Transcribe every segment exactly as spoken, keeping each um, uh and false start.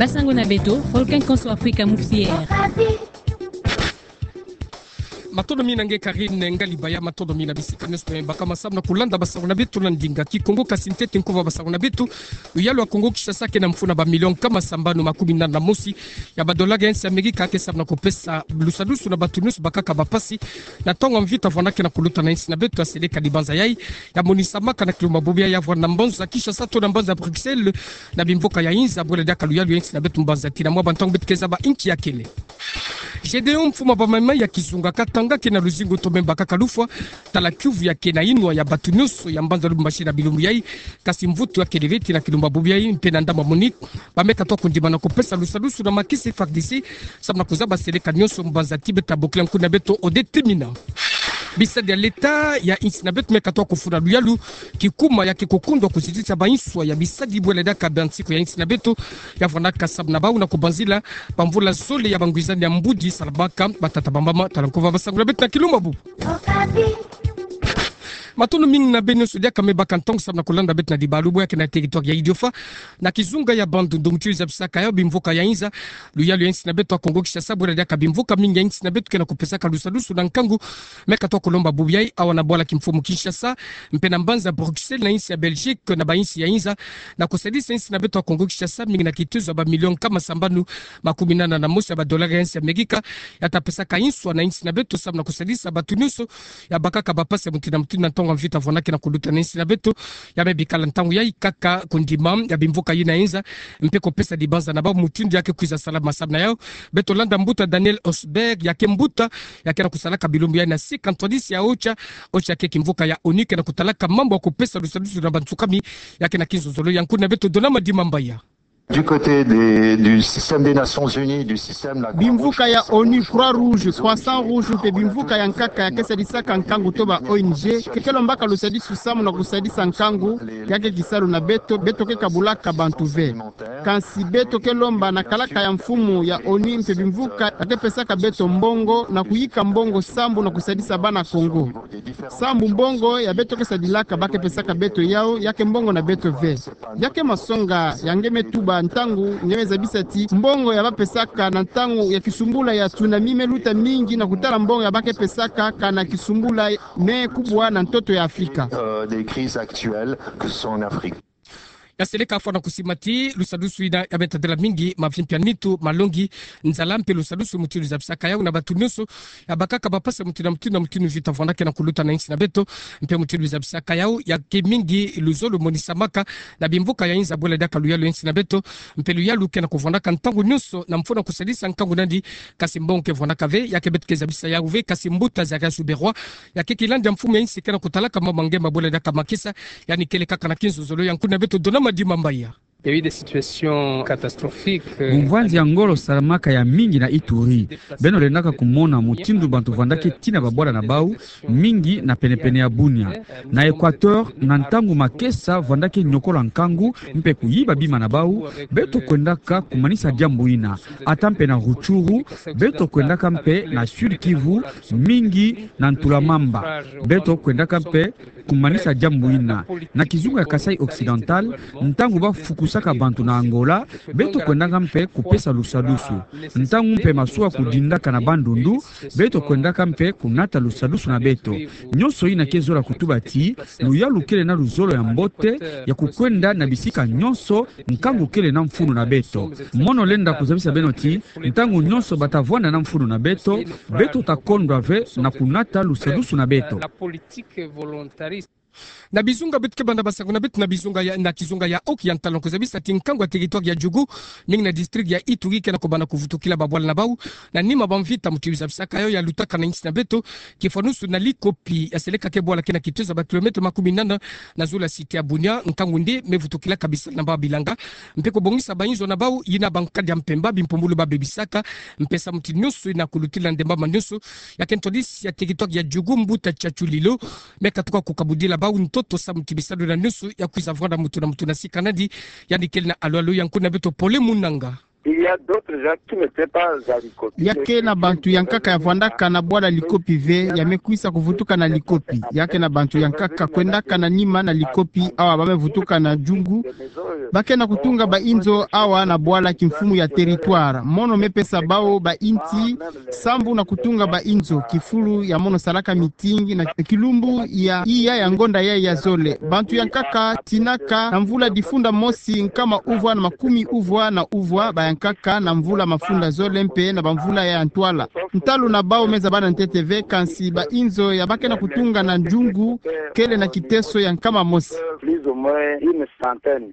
Basango na beto, Volcan Konso Afrika Moussière. Matondo mingi na nge Karine Ngalibaya, matondo mingi na bisika nyonso baka masamu na kulanda basango na beto na ndinga Kikongo. Kasi ntete nkuva basango na beto, luyalu ya Kongo Kinshasa ke na mfunu na bamilio nkama sambanu makumi nana na mosi ya badola ya insi ya Amerika ke samu na kupesa lusadusu na bato nyonso bakaka bapasi na ntangu ya mvita vwanda ke na kuluta na insi na beto. Ya seleka dibanza yai ya monisamaka na kilumbu bubu yai ya vwanda na mbanza Kinshasa to na mbanza Bruxelles, na bimvuka ya inza, bwela diaka luyalu ya insi na beto mbanza tina mwa bantangu beto ke zaba inki ya kele. Gedeon, mfumu ya bamama ya kizunga katanga ke na luzingu to mema bakaka lufwa, tala kiuvu ya ke na inwa ya bato nyonso ya mbanza Lubumbashi na bilumbu yai. Kasi mvutu ya kele ve ti na kilumbu bubu yai mpe na ndambu ya Monique, ba me katuka kondima na kupesa lusadusu na makisi F A R D C samu na kuzaba seleka nyonso mbanza ti beta bokila nkuna beto Odette Mina. Bisadi ya leta ya insi na beto me katuka kufuna luyalu kikuma ya ke kukundwa kuzitisa bainswa ya bisadi bwela diaka bansiku ya insi na beto ya vwandaka samu na bau na kubanzila bamvula zole ya bangwizani ya mbudi salamaka. Batata bamama, tala nkuva basango na beto na kilumbu bubu. Matondo mingi na beno nyonso diaka me baka ntangu samu na kulanda beto na libalu bwe ya ke na territoire ya Idiofa, na kizunga ya Bandundu. Mutindu zabisaka yau, bimvuka ya inza, luyalu ya insi na beto ya Kongo Kinshasa, bwela diaka bimvuka mingi ya insi na beto ke na kupesaka lusadusu na nkangu. Me katuka kulomba bubu yai awa na bwala kimfumu Kinshasa, mpe na mbanza Bruxelles na insi ya Belgique, na bainsi ya inza, na kusadisa insi na beto ya Kongo Kinshasa mingi na kitezo ya bamilio nkama sambanu makumi nana na mosi ya badola ya insi ya Amerika, ya ta pesaka inswa na insi na beto samu na kusadisa bato nyonso ya bakaka bapasi ya mutindu na mutindu na ntangu ya mvita vwanda ke na kuluta na insi na beto. Ya me bikala ntangu yai kaka kondima ya bimvuka yina ya inza, mpe kupesa dibanza na bau mutindu ya ke kwiza sala masamu na yau. Beto landa mbuta Daniel Osberg, ya ke mbuta ya ke na kusalaka bilumbu yai na Sika Ntwadisi ya OCHA. OCHA ke kimvuka ya ONU ke na kutalaka mambu ya kupesa lusadusu na bansukami ya ke na kinzonzolo. Ya nkuna beto Donama Dimambaya. Du côté des, du système des Nations Unies, du système la Croix-Rouge, bimvuka ya ONU, Croix-Rouge, Croissant-Rouge, mpe bimvuka ya nkaka ya ke sadisaka nkangu to ba O N G, ke ke lombaka lusadisu samu na kusadisa nkangu ya ke kisalu na beto, beto ke kabulaka bantu ve. Kansi beto ke lomba na kalaka ya mfumu ya ONU mpe bimvuka ya ke pesaka beto mbongo na kuyika mbongo sambu na kusadisa bana Kongo. Sambu mbongo ya beto ke sadilaka ba ke pesaka beto yau, ya ke mbongo na beto ve. Ya ke masonga ya nge me tuba ntangu nge me zabisa ti mbongo ya ba pesaka na ntangu ya kisumbula ya tsunami me luta mingi na kutala mbongo ya ba ke pesaka kana kisumbula me kubwa na ntoto ya Afrika. Euh, des crises actuelles, que ce soit en Afrique. Ya seleka fwana kusima ti lusadusu yina ya me tadila mingi mavimpi ya nitu, malongi, nzala mpe lusadusu mutindu zabisaka yau na bato nyonso ya bakaka bapasi ya mutindu na mutindu na mutindu mvita vwanda ke na kuluta na insi na beto. Mpe mutindu zabisaka yau ya ke mingi luzolo monisamaka na bimvuka ya inza bwela diaka luyalu ya insi na beto. Mpe luyalu ke na kuvwandaka ntangu nyonso na mfunu na kusadisa nkangu nandi, kasi mbongo ke vwandaka ve. Ya ke beto ke zabisa yau ve, kasi mbuta Zarias Uberwa, ya ke kilandi ya mfumu ya insi ke na kutalaka mama ngemba bwela diaka makesa, yandi kele kaka na kinzonzolo. Ya nkuna beto Donama Dimambaya. Il y a eu des situations catastrophiques, euh, bumvwanzi ya ngolo salamaka ya mingi na Ituri. Beno lendaka kumona mutindu bantu vwandaka tina babwala na bau, mingi na penepene ya Bunia. Na Équateur, na ntangu makesa vwandaka niokola nkangu mpe kuyiba bima na bau, beto kwendaka kumanisa diambu yina. Ata mpe na Rutshuru, beto kwendaka mpe na Sud-Kivu, mingi na Ntulamamba, beto kwendaka mpe kumanisa diambu yina. Na kizunga ya Kasaï Occidental, ntangu ba fukusaka bantu na Angola, beto kwendaka mpe kupesa lusadusu. Ntangu mpe masuwa kudindaka na Bandundu, beto kwendaka mpe kunata lusadusu na beto. Nyonso yina ke zola kutuba ti luyalu kele na luzolo ya mbote ya kukwenda na bisika nyonso nkangu kele na mfunu na beto. Mono lenda kuzabisa beno ti ntangu nyonso ba ta vwanda na mfunu na beto, beto ta kondwa ve na kunata lusadusu na beto. Na bizunga beto ke banda basaku na beto na bizunga ya, na kizunga ya Oki ya ntalo, kuzabisa ti nkangu ya territoire ya Djugu, mingi na district ya Ituri, ke na kubanda kuvutukila babwala na bau na nima bamvita. Mutindu zabisaka yau, ya lutaka na insi na beto kifwanusu na Likopi, ya seleka ke bwala ke na kitezo ya ba kilomètre makumi nana na zulu ya cité ya Bunia. Nkangu nde me vutukilaka bisalu na bau ya bilanga mpe kubongisa bainzo na bau yina bankadi ya mpemba bimpumbulu ba bebisaka, mpe samu ti nyonso yina kulutila ndemba ma nyonso. Ya ke ntwadisi ya territoire ya Djugu, mbuta Tchatchoulilo, me katuka kukabudila bau ntoto samu ti bisalu yina nyonso ya kwiza vwanda mutu na mutu na sika nandi. Yandi kele na alu alu ya nkuna beto Pole Munanga. Il y a d'autres gens qui n'étaient pas à Likopi. Ya ke na bantu ya nkaka ya vwandaka na bwala Likopi ve, ya me kwisa kuvutuka na Likopi. Ya ke na bantu ya nkaka kwendaka na nima na Likopi, awa ba me vutuka na Djungu. Ba ke na kutunga bainzo awa na bwala kimfumu ya territoire. Mono me pesa bawu bainti sambu na kutunga bainzo, kifulu ya mono salaka meeting na kilumbu ya iya ya ngonda ya ya zole. Bantu ya nkaka tinaka na mvula difunda mosi nkama uvwa na makumi uvwa na uvwa, ba ya nkaka na mvula mafunda zole mpe na bamvula ya ntwala. Ntalu na bawu me zabana ntete ve, kansi bainzo ya ba ke na kutunga na Djungu kele na kiteso ya nkama mosi. Plus ou moins une centaine.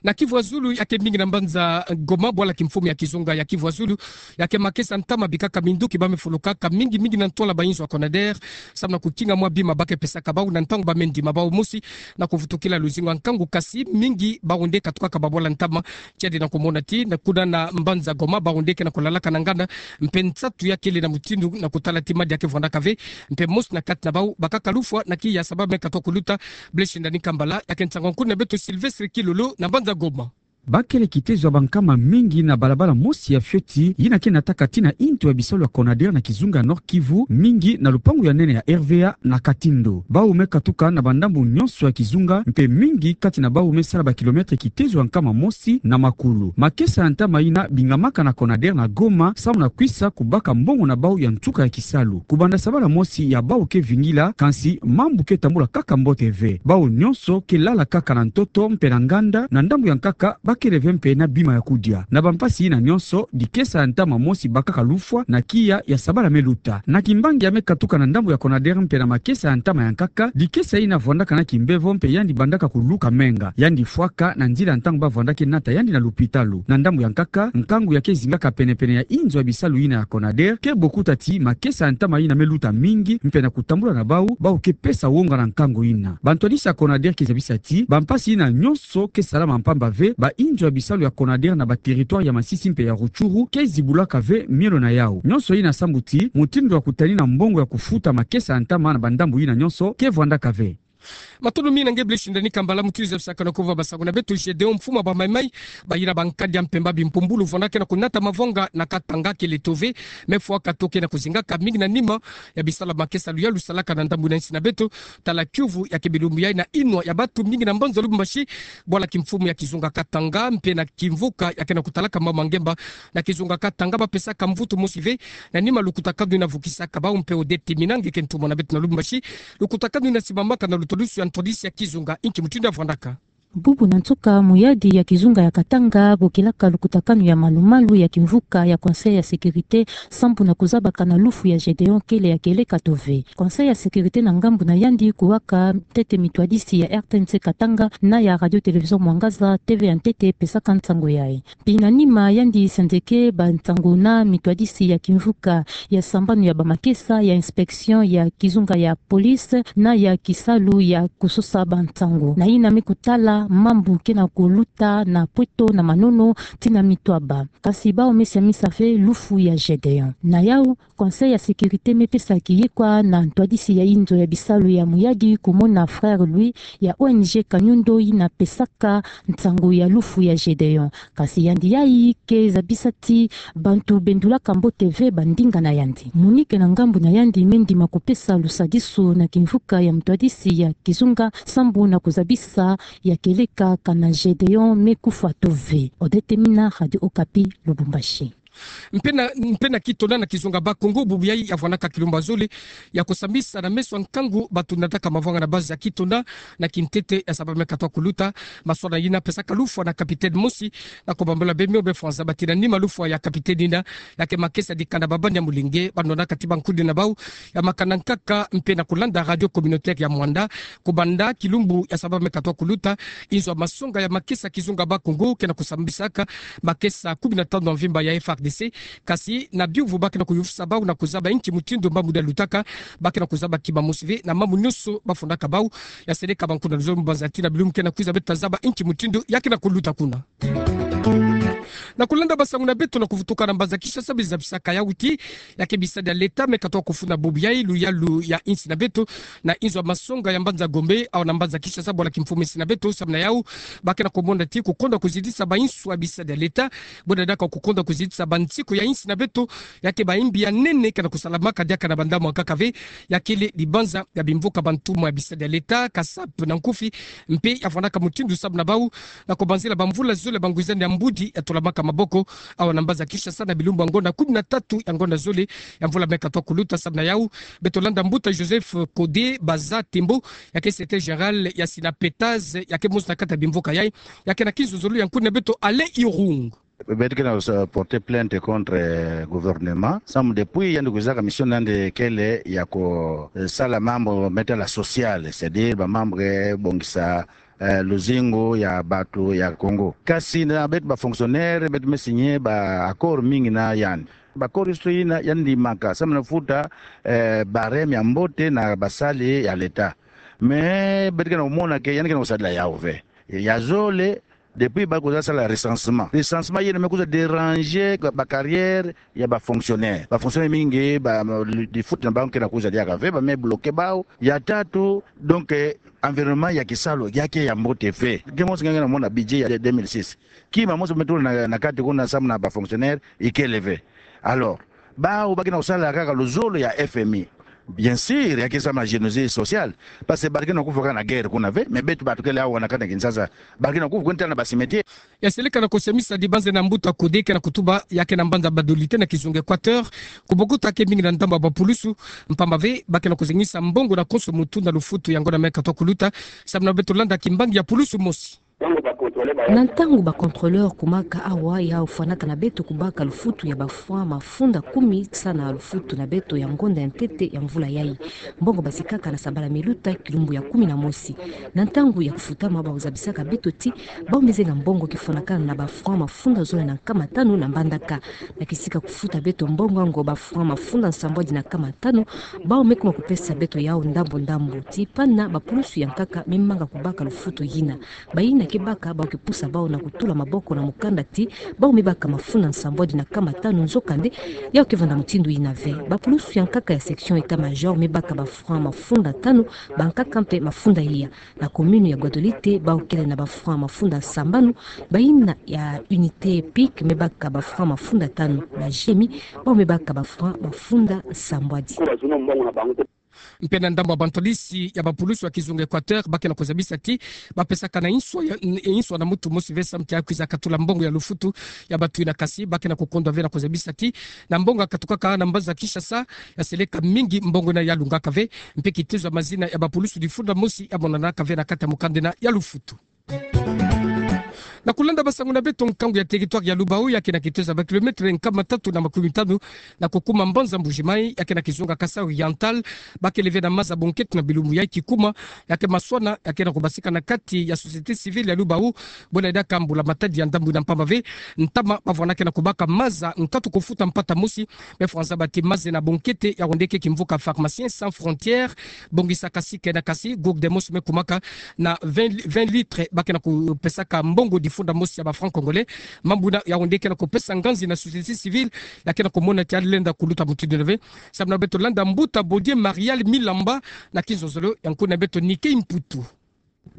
Na Kivu ya Zulu, ya ke mingi na mbanza Goma, bwala kimfumu ya kizunga ya Kivu ya Zulu, ya ke makesa ntama bikaka minduki ba me fulukaka mingi mingi na ntwala bainzo ya Conader, sambu na kukinga mwa bima ba ke pesaka bawu na ntangu ba me ndima bawu mosi na kuvutukila luzingu ya nkangu, kasi mingi bawu nde katukaka babwala ntama. Tiari na kumona ti na kuna na mbanza Goma, bawu nde ke na kulalaka na nganda, mpe nsatu ya kele na mutindu na kutala ti madi ya ke vwandaka ve, mpe mosi na kati na bawu bakaka lufwa na kiya sa ba me katwa kuluta. Blaise Ndani Kambala, ya ke nsangu nkuna beto Sylvestre Kilolo na mbanza Goma. Ba kele kitezo ya bankama mingi na balabala mosi ya fioti yina ke nataka tii na intu ya bisalu ya Conader na kizunga ya Nord-Kivu, mingi na lupangu ya nene ya R V A na Katindo. Bawu me katuka na bandambu nyonso ya kizunga, mpe mingi kati na bawu me sala bakilometre kitezo ya nkama mosi na makulu. Makesa ya ntama yina bingamaka na Conader na Goma, sambu na kwisa kubaka mbongo na bawu ya nsuka ya kisalu. Kubanda sabala mosi ya bawu ke vingila, kansi mambu ke tambula kaka mbote ve. Bawu nyonso ke lala kaka na ntoto mpe na nganda, na ndambu ya nkaka ba kele ve mpe na bima ya kudia. Na bampasi yina nyonso, dikesa ya ntama mosi bakaka lufwa na kiya ya sabala me luta. Na kimbangi ya me katuka na ndambu ya Conader mpe na makesa ya ntama ya nkaka, dikesa yina vwandaka na kimbevo mpe yandi bandaka kuluka menga. Yandi fwaka na nzila ntangu ba vwandaki nata yandi na lupitalu. Na ndambu ya nkaka, nkangu ya ke zingaka penepene ya inzo ya bisalu yina ya Conader ke bokuta ti makesa ya ntama yina me luta mingi, mpe na kutambula na bawu, bawu ke pesa wonga na nkangu yina. Bantwadisi ya Conader ke zabisa ti bampasi yina nyonso ke salama mpamba ve, bainzo ya bisalu ya Conader na baterritware ya Masisi mpe ya Rutshuru ke zibulaka ve mielo na yawu. Nyonso yina sambu ti mutindu ya kutanina mbongo ya kufuta makesa ya ntama na bandambu yina nyonso ke vwandaka ve. Matondo mingi na nge Blaise Ndani Kambala, mutuiza bisaka na kova basango na beto. Gedeon, mfumu ya bamaimai, bayina bankadi ya mpemba, bimpumbulu, vwandaka na kunata mavanga na Katanga, kele tove, me fwa kato ke na kuzingaka mingi na nima ya bisalu ya makesa luyalu lusalaka na ndambu na nsi na beto. Tala kiuvu ya ke bilumbu yayi na inwa ya bantu mingi na mbanza Lubumbashi, bwala kimfumu ya kizunga Katanga, mpe na kimvuka ya ke na kutalaka mama ngemba na kizunga Katanga, ba pesaka mvutu mosi ve na nima lukutakanu yina vukisaka bawu. Mpe Odette Mina, nge ke ntumwa na beto na Lubumbashi, lukutakanu yina simamaka na lutwadusu ya ntwadisi ya kizunga, inki mutindu ya vwandaka? Bubu na nsuka, muyadi ya kizunga ya Katanga bokilaka lukutakanu ya malu-malu ya kimvuka ya Conseil ya Sécurité, sambu na kuzabaka na lufu ya Gedeon kele ya kieleka tove. Conseil ya Sécurité na ngambu na yandi kuwaka ntete mitwadisi ya R T N C Katanga na ya Radio Télévision Mwangaza, T V ya ntete, pesaka nsangu yayi. Mpe na nima yandi senzeke bansangu na mitwadisi ya kimvuka ya sambanu ya bamakesa, ya inspection ya kizunga ya police, na ya kisalu ya kusosa bansangu, na yina me kutala mambu ke na kuluta na Pweto na Manono tii na Mitwaba. Kasi bawu me siamisa ve lufu ya Gedeon. Na yawu, Conseil ya Sécurité me pesa kiyekwa na ntwadisi ya inzo ya bisalu ya muyadi kumona frère Louis ya O N G Kanyundo yina pesaka nsangu ya lufu ya Gedeon. Kasi yandi yayi ke zabisa ti bantu bendulaka mbote ve bandinga na yandi. Monique na ngambu na yandi me ndima kupesa lusadisu na kimvuka ya ntwadisi ya kizunga sambu na kuzabisa ya kieleka kana Gedeon me kufa tove. Odette Mina, Radio Okapi, Lubumbashi. Mpe na, mpe na Kitona na kizunga Bas-Congo, bubu yayi ya vwanaka kilumbu ya zole ya kusambisa na meso ya nkangu bato nataka mavwanga na base ya Kitona na kintete ya sabala me katwa kuluta. Maswala yina pesaka lufwa na capitaine mosi na kubambula bemio be fwanza bati na nima lufwa ya capitaine yina ya ke makesa dikanda babani ya molenge, ba nwanaka ti bankundi na bawu ya makana nkaka mpe na kulanda radio communautaire ya Muanda. Kubanda kilumbu ya sabala me katwa kuluta, inzo ya masonga ya makesa kizunga Bas-Congo ke na kusambisaka makesa kumi na tanu ya mvimba ya F A R D C. Kasi na biuvu ba ke na kuyuvisa bawu na kuzaba inki mutindu mambu yina lutaka, ba ke na kuzaba kima mosi ve na mambu nyonso ba fundaka bawu. Ya seleka bankundi na zolo mbanza tii na bilumbu ke na kwiza, beto ta zaba inki mutindu ya ke na kuluta kuna. Na kulenda basangu na beto na kuvutuka na mbanza Kinshasa, ba zabisaka yawu ti ya ke bisadi ya leta me katoa kufuna bubu yayi luyalu ya insi na beto, na inzo ya masonga ya mbanza Gombe, awa na mbanza Kinshasa, bwala kimfumu insi na beto. Samu na yawu, ba ke na kumona ti kukonda kuzitisa ba inzo ya bisadi ya leta, buna diaka kukonda kuzitisa ba nsiku ya insi na beto, ya ke ba imbi ya nene ke na kusalamaka diaka na ba ndambu ya nkaka ve, ya kele libanza ya bimvuka bantumwa ya bisadi ya leta, CASAP na nkufi, mpe ya fwanaka mutindu samu na bawu na kubanzila ba mvula zole ba ngwizani ya mbudi ya tulamaka maboko, awa na mbanza Kinshasa, na bilumbu ya ngonda kumi na tatu ya ngonda zole ya mvula me katoa kuluta. Samu na yawu, beto landa mbuta Joseph Kode Baza Tembo, ya ke secrétaire général ya Synapetaz, ya ke mosi na kati ya bimvuka yayi, ya ke na kinzonzolo ya nkuni na beto Alain Irung. Beto ke na, euh, porter plainte contre, euh, gouvernement. Samu depuis yandi kwizaka mission na yandi kele ya ku, euh, sala mambu me tala social, c'est-à-dire ba mambu ke bongisa, euh, luzingu ya bato ya Congo. Kasi na beto ba fonctionnaire, beto me signer ba accord mingi na yandi. Ba accord yusito yina yandi ndimaka samu na futa, euh, barème ya mbote na basali ya leta. Mais beto ke na kumona ke yandi ke na kusadila yawu ve. Ya zole, depuis ba kwiza sala recensement. Recensement yina me kwiza déranger ba carrière ya ba fonctionnaire. Ba fonctionnaire mingi, ba, di, di futa na bango ke na kwiza diaka ve, ba me bloquer bawu. Ya tatu, donc, euh, environnement ya kisalu ya ke ya mbote ve. Ke mosi nge na mona budget ya deux mille six. Kima mosi me tula na, na kati kuna samu na ba fonctionnaire, ikele ve. Alors, bawu ba ke na kusala kaka luzolo ya F M I. Bien sûr, ya ke samu na génosie sociale. Parce que ba ke na kufa kaka na guerre kuna ve, mais beto bato kele awa na kati ya Kinshasa, ba ke na kufa kwenda na ba cimetière. Ya seleka na kusemisa dibanze na mbuta Kode ke na kutuba ya ke na mbanza Badolite na kizunga Équateur, ku bokuta ke mingi na ndambu ya ba pulusu, mpamba ve ba ke na kuzengisa mbongo na konso mutu na lufutu ya ngonda me katoa kuluta. Samu na beto landa kimbangi ya pulusu mosi. Na ntangu ba contrôleur kumaka awa, yawu fwanaka na beto kubaka lufutu ya ba francs mafunda kumi, sa na lufutu na beto ya ngonda ya ntete ya mvula yayi. Mbongo basikaka na sabala me luta, kilumbu ya kumi na mosi. Na ntangu ya kufutama, bawu zabisaka beto ti bawu me zenga mbongo kifwanakana na ba francs mafunda zole na nkama tanu na mbandaka. Na kisika kufuta beto mbongo yango, ba francs mafunda nsambwadi na nkama tanu, bawu me kuma kupesa beto yawu ndambu ndambu. Ti pana ba pulusu ya nkaka me manga kubaka lufutu yina. Bayina ke baka, bawu ke pusa bawu na kutula maboko na mukanda ti bawu me baka mafunda nsambwadi na nkama tanu, nzokande yawu ke vanda mutindu yina ve. Ba pulusu ya nkaka ya section état-major me baka ba francs mafunda tanu, ba nkaka mpe mafunda iya. Na commune ya Guadolite, bawu kele na ba francs mafunda sambanu. Bayina ya unité pic me baka ba francs mafunda tanu. Na G M I, bawu me baka ba francs mafunda sambwadi. Mpe na ndambu ya bantwadisi ya ba pulusu ya kizunga Équateur, ba ke na kuzabisa ti ba pesaka na inswa ya, inswa na mutu mosi ve samu ti ya kwiza katula mbongo ya lufutu ya bato yina. Kasi ba ke na kukondwa ve na kuzabisa ti na mbongo ya katukaka na mbanza Kinshasa, ya seleka mingi mbongo yina ya lungaka ve. Mpe kitezo ya mazina ya ba pulusu difunda mosi ya monanaka ve na kati ya mukanda yina ya lufutu. Na kulanda basangu na beto, nkangu ya territoire ya Lubao, ya ke na kitezo ya ba kilomètre nkama tatu na makumi tanu na kukuma mbanza Mbuji-Mayi, ya ke na kizunga Kasaï Oriental, ba kele ve na maza bonkete na bilumbu yayi kikuma, ya ke maswana ya ke na kubasika na kati ya société civile ya Lubao. Buna diaka mbula-matadi ya ndambu yina, mpamba ve ntama bavwanaka na kubaka maza nkatu kufuta mpata mosi. Me fwa nzaba ti maza yina bonkete, ya wende ke kimvuka Pharmaciens sans frontières, bongisa kasi ke na kasi, groupe de mosi me kumaka na vingt, vingt litres, ba ke na kupesaka mbongo difunda mosi ya ba francs congolais. Mambu yina ya wende ke na kupesa nganzi na société civile, ya ke na kumona ti ya lenda kuluta mutindu yina ve. Samu na beto landa mbuta Bodier Marial Milamba na kinzonzolo ya nkuni na beto Nike Mputu.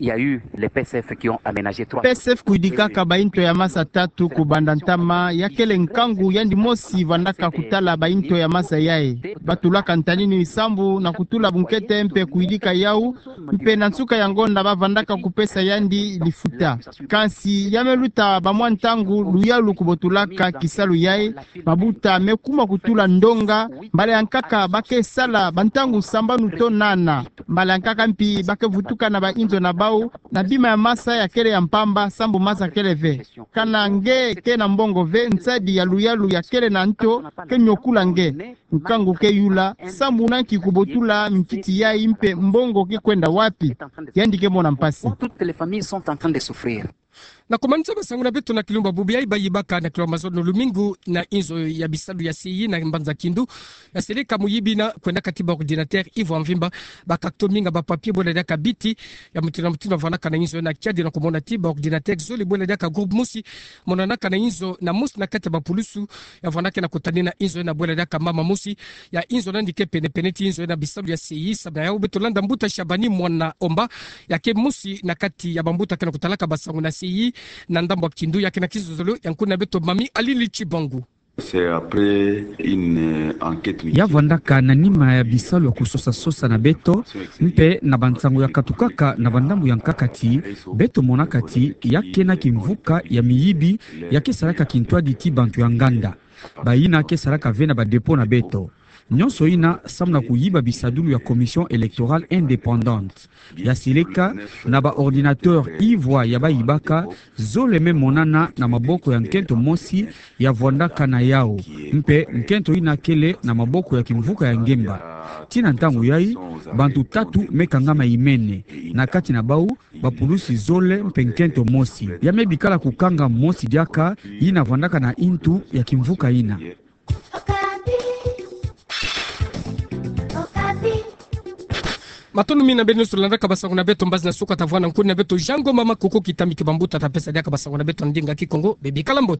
Il y a eu les P C F qui ont aménagé trois P C F kuyidikaka ba into ya maza tatu kubanda ntama, ya kele nkangu yandi mosi vandaka kutala ba into ya maza yayi. Batulaka ntanini sambu na kutula bunkete mpe kuyidika yawu, mpe na nsuka ya ngonda bavandaka kupesa yandi lifuta. Kansi ya me luta ba mwa ntangu luyalu kubotulaka kisalu yayi, mabuta me kuma kutula ndonga, mbala ya nkaka ba ke sala ba ntangu sambanu to nana. Mbala ya nkaka mpi ba ke vutuka na ba inzo na bawu, na bima ya maza ya kele ya mpamba, sambu maza kele ve. Kana nge ke na mbongo ve, nsadi ya luyalu ya kele na nto ke nyokula nge. Nkangu ke yula, sambu na nki kubotula minkiti yayi mpe mbongo ke kwenda wapi? Yandi ke mona mpasi. Toutes les familles sont en train de souffrir. Na komanisa basangu na beto na kilumbu bubu yayi, bayibaka na kilumbu mazono lumingu na inzo ya bisalu ya C I na mbanza Kindu, ya seleka muyibi na kwendaka ti ba ordinateur ivo ya mvimba, bakaka to minga ba papier bwela diaka biti ya mutindu na mutindu ya vwanaka na inzo, na kiadi na komona ti ba ordinateur zole bwela diaka groupe mosi monanaka na inzo na mosi na kati ya bapulusu ya vwanaka na kutani na inzo na bwela diaka mama mosi ya inzo nandi ke penepene ti inzo na bisalu ya C I. Samu na yawu beto landa mbuta Shabani Mwana Omba, ya ke mosi na kati ya bambuta ke na kutalaka basangu na C I na ndambu ya Kindu, ya ke na kizololo ya nkuna beto Mami Alili Chibangu. C'est après une, euh, enquête minutieuse. Ya vwandaka na nima ya bisalu ya kusosa-sosa na beto, mpe na bansangu ya katukaka na bandambu ya nkakati, beto monaka ti ya ke na kimvuka ya miyibi ya ke salaka kintwadi ti bantu ya nganda. Bayina ke salaka ve na ba dépôt na beto. Nyonso yina samu na kuyiba bisadulu ya Commission électorale indépendante. Ya seleka na ba ordinateur ivo ya bayibaka, zole me monana na maboko ya nkento mosi ya vwandaka na yawu. Mpe nkento yina kele na maboko ya kimvuka ya ngemba. Tii na ntangu yayi, bantu tatu me kangama imene. Na kati na bawu, bapulusi zole mpe nkento mosi. Ya me bikala kukanga mosi diaka, yina vwandaka na intu ya kimvuka yina. Matondo mingi na beno nyonso landaka basangu na beto mbazi na suka. Ta vwanda nkuni na beto Jean Ngoma Makoko Kitambi, ke bambuta ta pesa diaka basangu na beto na ndinga Kikongo. Bebikala mbote.